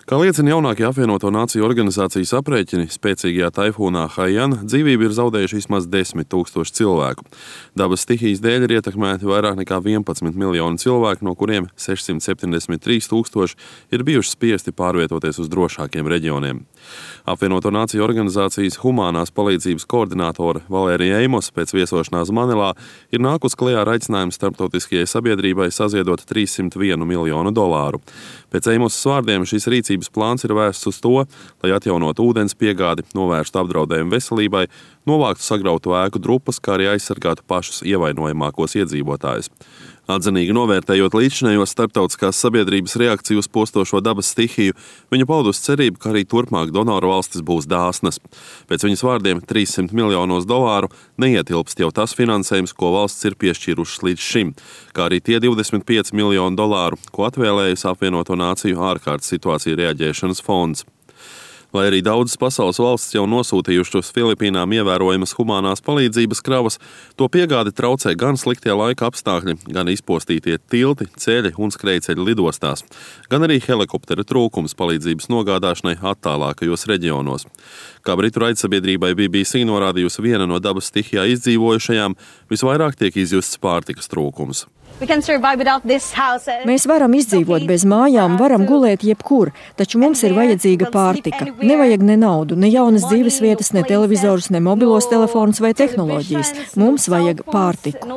Kā liecina jaunākie apvienoto nāciju organizācijas aprēķini, spēcīgajā taifūnā Haiyan dzīvību ir zaudējuši vismaz 10 000 cilvēku. Dabas stihijas dēļ ir ietekmēti vairāk nekā 11 miljoni cilvēku, no kuriem 673 000 ir bijuši spiesti pārvietoties uz drošākiem reģioniem. Apvienoto nāciju organizācijas humānās palīdzības koordinātore Valērija Eimos pēc viesošanās Manilā ir nākus klajā ar aicinājumu starptautiskajai sabiedrībai saziedot $301 miljonu. Pēc Eimosas vārdiem šis rīcības plāns ir vērsts uz to, lai atjaunotu ūdens piegādi, novērstu apdraudējumu veselībai, novāktu sagrautu ēku drupas, kā arī aizsargātu pašus ievainojamākos iedzīvotājus. Atzinīgi novērtējot līdzinējos starptautiskās sabiedrības reakciju uz postošo dabas stihiju, viņa paudusi cerību, ka arī turpmāk donoru valstis būs dāsnas. Pēc viņas vārdiem $300 miljonos neietilpst jau tas finansējums, ko valsts ir piešķīrušas līdz šim, kā arī tie $25 miljoni, ko atvēlējusi apvienoto nāciju ārkārtas situāciju reaģēšanas fonds. Lai arī daudzas pasaules valstis jau nosūtījušas uz Filipīnām ievērojamas humānās palīdzības kravas, to piegādi traucē gan sliktie laika apstākļi, gan izpostītie tilti, ceļi un skrejceļi lidostās, gan arī helikoptera trūkums palīdzības nogādāšanai attālākajos reģionos. Kā britu raidsabiedrībai BBC norādījusi viena no dabas stihijā izdzīvojušajām, visvairāk tiek izjusts pārtikas trūkums. Mēs varam izdzīvot bez mājām, varam gulēt jebkur, taču mums ir vajadzīga pārtika. Nevajag ne naudu, ne jaunas dzīves vietas, ne televizorus, ne mobilos telefonus vai tehnoloģijas. Mums vajag pārtiku.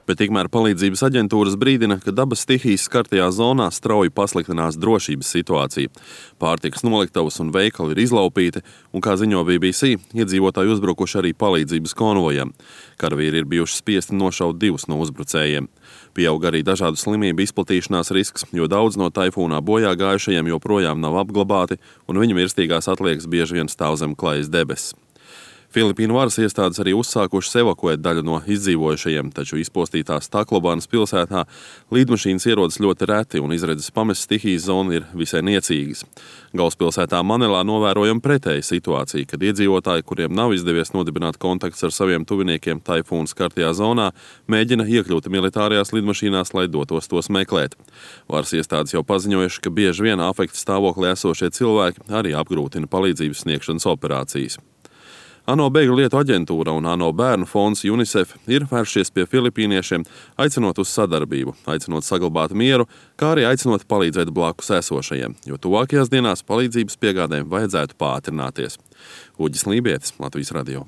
Bet tikmēr palīdzības aģentūras brīdina, ka dabas stihijas skartajā zonā strauji pasliktinās drošības situācija. Pārtikas noliktavas un veikali ir izlaupīti, un, kā ziņo BBC, iedzīvotāji uzbrukuši arī palīdzības konvojam. Karavīri ir bijuši spiesti nošaut 2 no uzbrucējiem. Pieaug arī dažādu slimību izplatīšanās risks, jo daudz no taifūnā bojā gājušajiem joprojām nav apglabāti, un viņu mirstīgās atliekas bieži vien stāv zem klajas debesis. Filipīnu varas iestādes arī uzsākušas evakuēt daļu no izdzīvojušajiem, taču izpostītās Taklobānas pilsētā līdmašīnas ierodas ļoti reti un izredzes pamest stihijas zonu ir visai niecīgas. Galvaspilsētā Manilā novērojama pretēja situācija, kad iedzīvotāji, kuriem nav izdevies nodibināt kontakts ar saviem tuviniekiem taifūna skartajā zonā, mēģina iekļūt militārajās lidmašīnās, lai dotos tos meklēt. Varas iestādes jau paziņojuši, ka bieži vien afekta stāvoklī esošie cilvēki arī apgrūtina palīdzības sniegšanas operācijas. ANO bēgļu lietu aģentūra un ANO bērnu fonds UNICEF ir vēršies pie filipīniešiem, aicinot uz sadarbību, aicinot saglabāt mieru, kā arī aicinot palīdzēt blakus esošajiem, jo tuvākajās dienās palīdzības piegādēm vajadzētu pātrināties. Uģis Lībietis, Latvijas radio.